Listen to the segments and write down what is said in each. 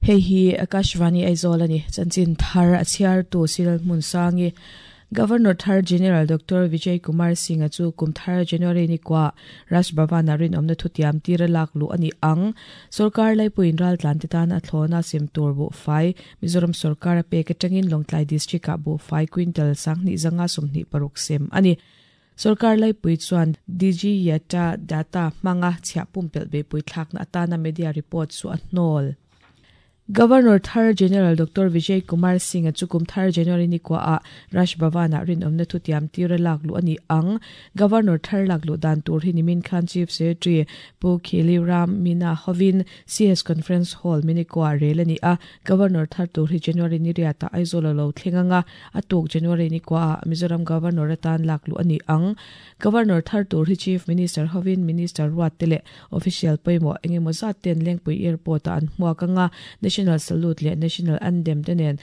Hei hi Akashvani Aizawl a ni. Chanchin thar a chhiartu Cyril Hmunsangi, Governor thar General Doctor Vijay Kumar Singh-a chu kum thar January ni kua Raj Bhavan-ah rinawmna thutiam tir a lak luh a ni ang. Sorkar laipuiin raltlan te tan a thlawna sem tur buhfai Mizoram sorkar a pek atangin Lawngtlai District-ah buhfai quintal 2526 sem a ni. Sorkar laipui chuan DG Yata data hmanga chhiah pumpelh beihpui thlakna atana media report chu a hnawl. Governor thar General Doctor Vijay Kumar Singh-a chu kum thar January ni kuaah Raj Bhavan-ah rinawmna thutiam tira lak luh a ni ang. Governor thar lak luh dan tur hi nimin khan Chief Secretary Pu Khili Ram Meena hovin CS Conference Hall Minikuah rel a ni a. Governor thar tur hi January ni riatah Aizawl a lo thleng ang a, a tuk January ni kuaah Mizoram Governor atan lak luh a ni ang. Governor thar tur hi Chief Minister hovin Minister ruat te leh Official pawimawh eng emaw zat ten Lengpui Airport ah an hmuak ang a, National Salute leh National Anthem te nen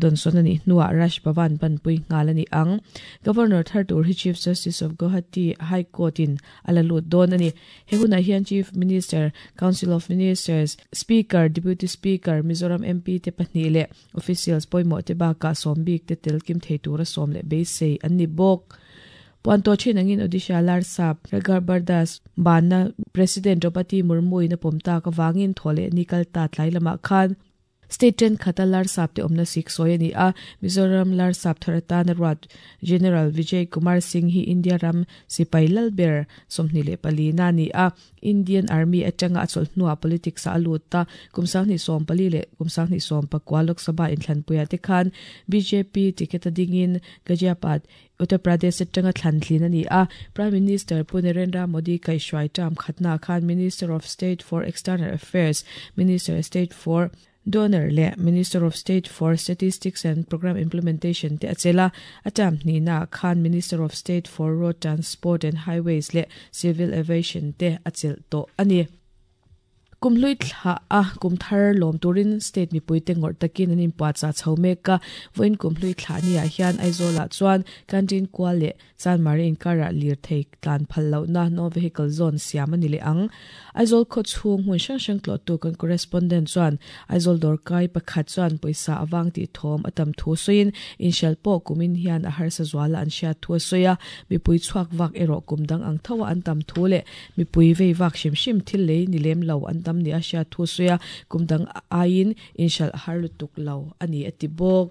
dawnsawn a nih hnuah Raj Bhavan panpui nghal a ni ang. Governor thar tur hi Chief Justice of Guwahati High Court in a la lut dawn a ni. He hunah hian Chief Minister, Council of Ministers, Speaker, Deputy Speaker, Mizoram MP te pahnih leh Officials pawimawh te bakah sawm bik te tel kim thei tura sawm leh beisei an ni bawk. Puan tawh thin angin Odisha Larsap Raghubar Das banna President Draupadi Murmu in a pawm tak avangin thaw leh ni kal ta tlai lamah khan State thenkhat a Larsap te awmna sik sawi a ni a. Mizoram Larsap thar atana ruat General Vijay Kumar Singh hi India ram sipai lal ber 24 na a ni a. Indian Army atanga a chawlh hnuah politics ah a lut a, kum 2014 leh kum 2019 Lok Sabha inthlanpuiah te khan bjp ticket a dingin Ghaziabad, Uttar Pradesh atanga thlan thlin a ni a. Prime Minister Pu Narendra Modi kaihhruai term khatnaah khan Minister of State for External Affairs, Minister of State for Donor leh Minister of State for Statistics and Programme Implementation te a chelh a, a term hnihnaah khan Minister of State for Road Transport and Highways leh Civil Aviation te a chelh tawh a ni. Kum hlui thlah a kum thar lawm turin state mipuite ngawrh takin an inpuahchah chho mek a, vawiin kum hlui thlah niah hian Aizawlah chuan Canteen kual leh Chanmari inkarah lirthei tlan phal lohna No Vehicle Zone siam a ni leh ang. Aizawl khaw chhung hmun hrang hrang tlawhtu kan correspondent chuan Aizawl dawrkai pakhat chuan pawisa a vang tih thawm a tam thu sawiin inhrial pawh kumin hian a harsa zuala an hriat thu a sawi a, mipui chhuak vak erawh kum dang ang tho a an tam thu leh mipui vei vak hrim hrim thil lei ni lem lo an tam nia hriat thu a sawi a, kum dang aiin inhrialh a har lutuk lo a ni a ti bawk.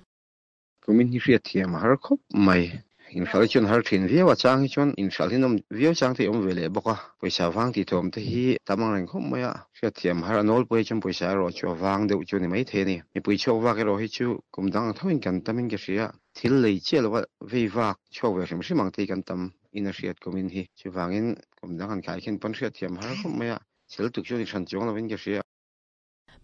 Kumin hi hriatthiam a har khawp mai. Inhralh hi chuan har thin viau a, chang hi chuan inhralh hi nawm viau chang te hi awm ve leh bawk a. Pawisa vang tih thawm te hi tam ang reng khawp mai a, hriatthiam a har a nawlpui hi chuan pawisa erawh chu a vang deuh chu a ni mai thei a ni. Mipui chhuak vak erawh hi chu kum dang ang thoin kan tamin ka hria, thil lei chiah lova vei vak chhuak ve hrim hrim ang te hi kan tam in a hriat kumin hi. Chuvangin kum dang han khai khin pawn hriatthiam a har khawp mai a, thil tuk chu a ni hran chuang lovin ka hria.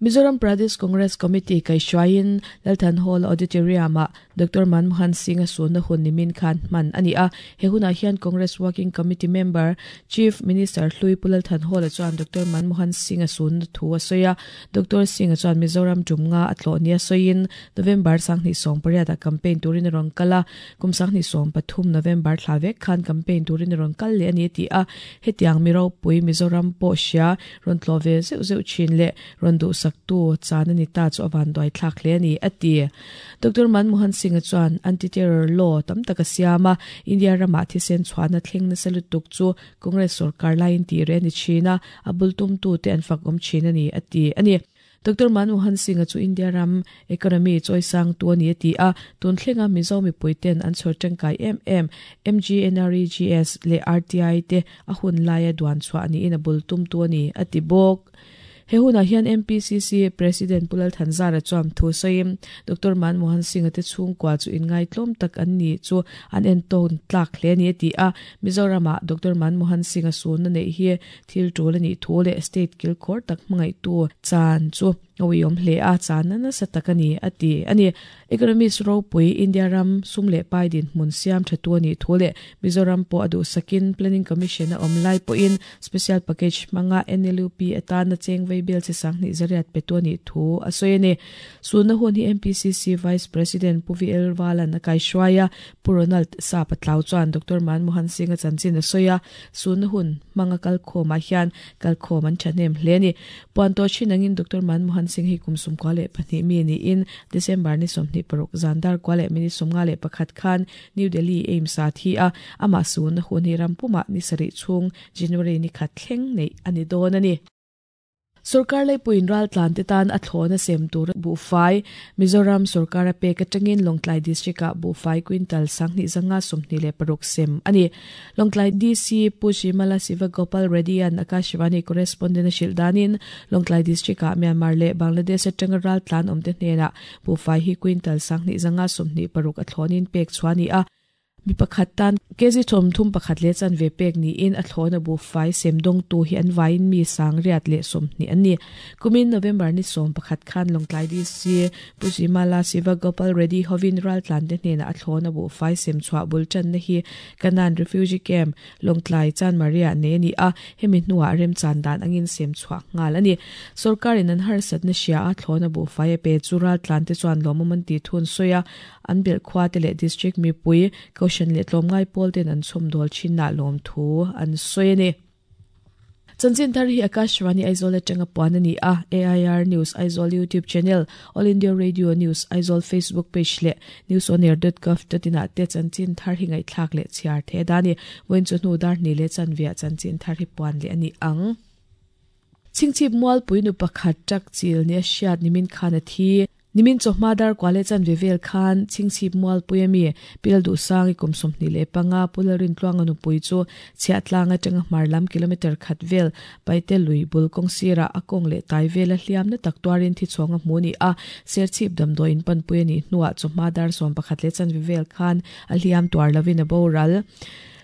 Mizoram Pradesh Congress Committee kaihhruaiin Lalthan Hall Auditorium-ah Doctor Manmohan Singh-a sunna hun nimin khan hman a ni a. He hunah hian Congress Working Committee member, Chief Minister Hlui Pu Lalthan Hall-a chuan Doctor Manmohan Singh-a sunna thu a sawi a. Doctor Singh-a chuan Mizoram tum nga a tlawh nia sawiin November 2018 ah campaign turin a rawn kal a, kum 2013 November thla vek khan campaign turin a rawn kal leh a ni a ti a. Hetiang mi ropui Mizoram pawh hria Rawn tlawh ve zeuh zeuh thin leh rawn duhsaktu chan a ni ta chu a van duai thlak hle a ni, a ti. Doctor Manmohan Singh-a chuan anti-terror law tam tak a siam a, India ramah thisen chhuahna thleng nasa lutuk chu Congress sorkar laiin tih reh a ni thin a, a bul tumtute an fak awm thin a ni, a ti a ni. Doctor Manmohan Singh-a chu India ram economy chawisangtu a ni a ti a, tun thlenga Mizo mipuiten an chhawr tangkai em em MGNREGS leh RTI te a hun laia duan chhuah niin a bul tumtu a ni, a ti bawk. He hunah hian MPCC President Pu Lalthanzara chuan thu sawiin Doctor Manmohan Singh-a te chhungkua chu inngaihtlawm tak an ni chu an entawn tlak hle a ni a ti a, Mizoramah Doctor Manmohan Singh-a sunna neih hi Thil tul a nih thu leh state kilkhawr tak hmangaihtu chan chu a uiawm hle a, channa nasa tak a ni, a ti a ni. Economist ropui India ram sum leh pai dinhmun siam tha tu a nih thu leh Mizoram pawh a duhsakin Planning Commission a awm lai pawhin Special Package hmanga NLUP atana cheng vei bel chi 20,000 pe tu a nih thu a sawi a ni. Sunna hun hi MPCC Vice President Pu VL Valan a kaihruai a, Pu Ronald Sapa Tlau chuan Doctor Manmohan Singh-a chanchin a sawi a, Sunna hun hmanga kalkhawmah hian kalkhawm an thahnem hle a ni. Puan tawh thin angin Doctor Manmohan. Manmohan Singh hi kum 92 mi niin December ni 26 zan dar kwa leh minute 51 khan New Delhi AIIMS ah thi a, amah sunna hun hi rampumah ni sarih chhung January ni khat thleng neih a ni dawn a ni. Sorkar leipuiin raltlan te tan a thlawna sem tur buhfai Mizoram sorkar a pek atangin Lawngtlai District-ah buhfai quintal 2126 sem a ni. Lawngtlai DC Pu Shimala Sivagopal Reddy-a'n Akashvani correspondent a hrilh danin Lawngtlai District-ah Myanmar leh Bangladesh atanga raltlan awmte hnenah buhfai hi quintal 2126 a thlawnin pek chhuah a ni a. Mi pakhat tan kg 31 leh chanve pek niin a thlawna buhfai sem dawngtu hi an vaiin mi 120 an ni. Kumin November ni 11 khan Lawngtlai DC Pu Jimala Siva Gopal Reddy hovin raltlante hnenah a thlawna buhfai sem chhuah bul tanna hi Kanan Refugee Camp, Lawngtlai Chanmaria nei a ni a, hemi hnuah remchan dan angin sem chhuah nghal a ni. Sorkarin an harsatna hria a thlawna buhfai a pe chu raltlante chuan lawmawm an tih thun sawi a, An belh khua te leh District mipui, Kohhran leh tlawmngai pawl ten an chhawmdawl thinah lawmthu an sawi a ni. Chanchin thar hi Akashvani Aizawl atanga puan a ni a, AIR News Aizawl YouTube channel, All India Radio News Aizawl Facebook page leh newsonair.gov.in ah te chanchin thar hi ngaihthlak leh chhiar theih a dah a ni. Vawiin chu hnu dar hnih leh chanveah chanchin thar hi puan leh a ni ang. Chhingchhip mualpui nu pakhat truck chil nia hriat nimin khan a thi. Nimin chawhma dar kua leh chanve vel khan Chhingchhip mualpui ami Pil Duhsang i kum 25 Pu Lalrintluanga nupui chu Chhiahtlang atanga hmar lam kilometre khat vel Paite lui bul kawng sirah a kawng leh tai vela hliamna tak tuarin thichhawng a hmu ni a, Serchhip damdawiin panpui a nih hnuah chawhma dar 11 leh chanve vel khan a hliam tuar lovin a boral.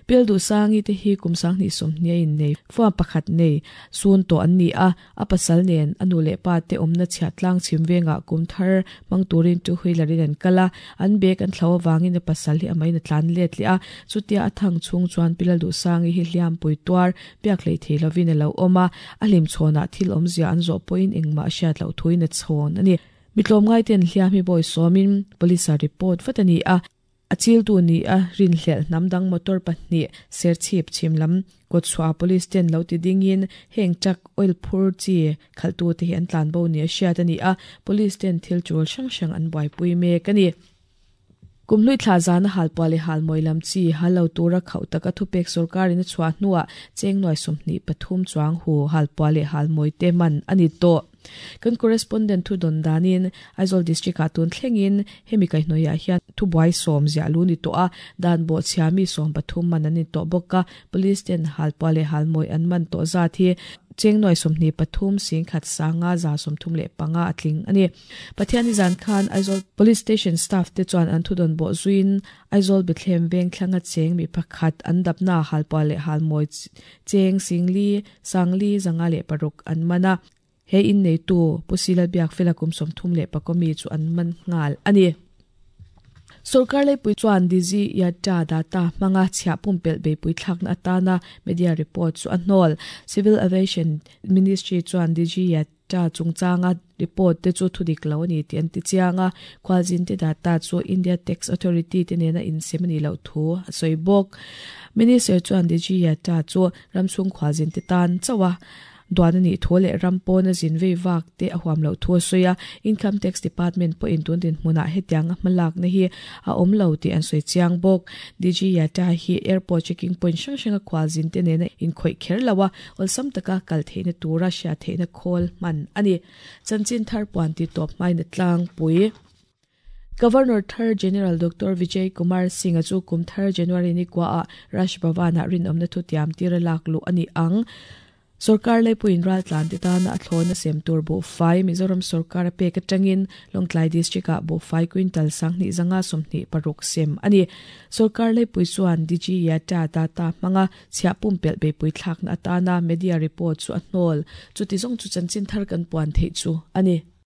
Pil Duhsangi te hi kum 20 a innei fuam pakhat nei sun tawh an ni a, a pasal nen a nu leh pa te awmna chhiah tlang chhim vengah kum thar hmang turin two wheeler in an kal a, an bag an thlo avangin a pasal hi amahin a tlan let leh a, chutia a thang chhung chuan Pilal Duhsangi hi hliampui tuar biak hlei thei lovin a lo awm a, a hlimchhawnah thil awmzia an zawh pawhin engmah a hriat loh thuin a chhawn a ni. Mi tlawmngaiten hliam hi bawi sawmin police ah report vat a ni a. A chiltu ni a rinhlelh hnam dang motor pahnih Serchhip chhim lam kawtchhuah police ten lo ti dingin heng truck oil phur chi khalhtute hi an tlanbo ni a hriat a ni a, police ten thil tul hrang hrang an buaipui mek a ni. Kumhlui thla zana halpuah leh halmawi lam chi hal lo tura khauh taka thupek sorkarin a chhuah hnuah cheng nuai 23 chuang hu halpuah leh halmawi te man a ni tawh. Kan correspondent thu dawn danin Aizawl District ah tun thlengin hemi kaihhnawihah hian thubuai sawm ziah lu ni tawh a, dan bawhchhia mi 13 man an ni tawh bawk a, Police ten halpuah leh halmawi an man tawh zat hi cheng nuai 23 singkhat sanga 135 a tling a ni. Pathianni zan khan Aizawl Police Station staff te chuan an thudawn bawh zuiin Aizawl Bethlehem veng thlanga cheng mi pakhat an dapna halpuah leh halmawi cheng singli sangli 506 an man a. He inneitu Pu Sila Biakfela kum 34 mi chu an man nghal a ni. Sorkar leipui chuan Dizzy Yatta data hmanga chhiah pumpelh beipui thlakna atana media report chu a hnawl. Civil Aviation Ministry chuan Dizzy Yatta chungchanga report te chu thudik lo a ni tih an ti chiang a, khualzinte data chu India Tax Authority te nena insem a nih loh thu a sawi bawk. Minister chuan Dizzy Yatta chu ramchhung khualzinte tan chauh a Duan a nih thu leh ram pawna zin vei vak te a huam loh thu a sawi a, Income Tax Department pawhin tun dinhmunah hetianga hmalakna hi a awm lo tih an sawi chiang bawk. DG Yata hi airport checking point hrang hranga khual zin te nena inkhawih kher lo a, awlsam taka kal theihna tura hriat theihna khawl hman a ni. Chanchin thar puan ti tawp hmain a tlangpui. Governor thar General Doctor Vijay Kumar Singh-a chu kum thar January ni kuaah Raj Bhavan-ah rinawmna thutiam tira lak luh a ni ang. Sorkar leipuiin raltlan te tana a thlawna sem tur buhfai Mizoram sorkar a pek atangin Lawngtlai District-ah buhfai quintal 2526 sem a ni. Sorkar leipui chuan DG Yata data hmanga chhiah pumpelh beipui thlakna atana media report chu a hnawl. Chuti zawng chu chanchin thar kan puan theih chu a ni.